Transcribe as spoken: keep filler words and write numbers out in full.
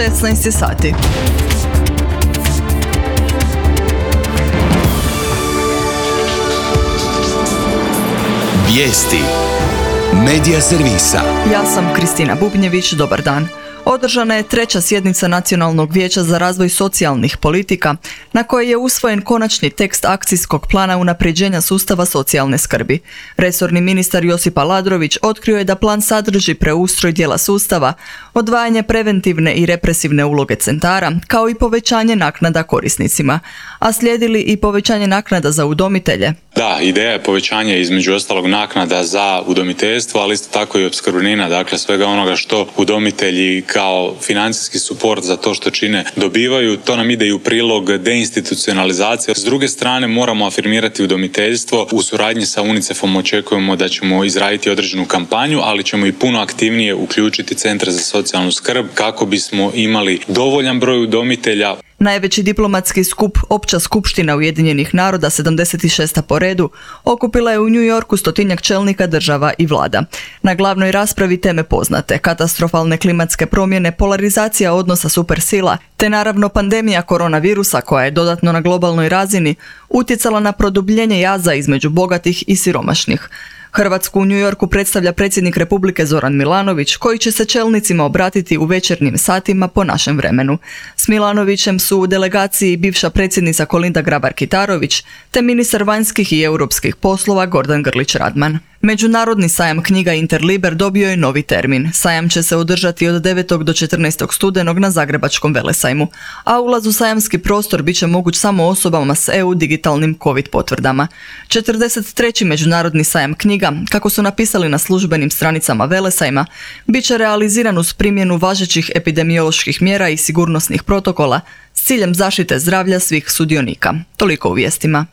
šesnaest je sati. Vijesti Medija servisa. Ja sam Kristina Bubnjević, dobar dan. Održana je treća sjednica Nacionalnog vijeća za razvoj socijalnih politika, na kojoj je usvojen konačni tekst akcijskog plana unapređenja sustava socijalne skrbi. Resorni ministar Josip Aladrović otkrio je da plan sadrži preustroj dijela sustava, odvajanje preventivne i represivne uloge centara, kao i povećanje naknada korisnicima, a slijedili i povećanje naknada za udomitelje. Da, ideja je povećanje između ostalog naknada za udomiteljstvo, ali isto tako i opskrbnina, dakle svega onoga što udomitelji kao financijski suport za to što čine dobivaju. To nam ide i u prilog deinstitucionalizacije. S druge strane moramo afirmirati udomiteljstvo. U suradnji sa UNICEF-om očekujemo da ćemo izraditi određenu kampanju, ali ćemo i puno aktivnije uključiti centre za socijalnu skrb kako bismo imali dovoljan broj udomitelja. Najveći diplomatski skup, Opća skupština Ujedinjenih naroda, sedamdeset šesta po redu, okupila je u New Yorku stotinjak čelnika država i vlada. Na glavnoj raspravi teme poznate, katastrofalne klimatske promjene, polarizacija odnosa supersila, te naravno pandemija koronavirusa koja je dodatno na globalnoj razini utjecala na produbljenje jaza između bogatih i siromašnih. Hrvatsku u New Yorku predstavlja predsjednik Republike Zoran Milanović, koji će se čelnicima obratiti u večernjim satima po našem vremenu. S Milanovićem su u delegaciji bivša predsjednica Kolinda Grabar-Kitarović te ministar vanjskih i europskih poslova Gordan Grlić Radman. Međunarodni sajam knjiga Interliber dobio je novi termin. Sajam će se održati od devetog do četrnaestog studenog na Zagrebačkom velesajmu, a ulaz u sajamski prostor bit će moguć samo osobama s E U digitalnim COVID potvrdama. četrdeset treći Međunarodni sajam knjiga, kako su napisali na službenim stranicama velesajma, bit će realiziran uz primjenu važećih epidemioloških mjera i sigurnosnih protokola s ciljem zaštite zdravlja svih sudionika. Toliko u vijestima.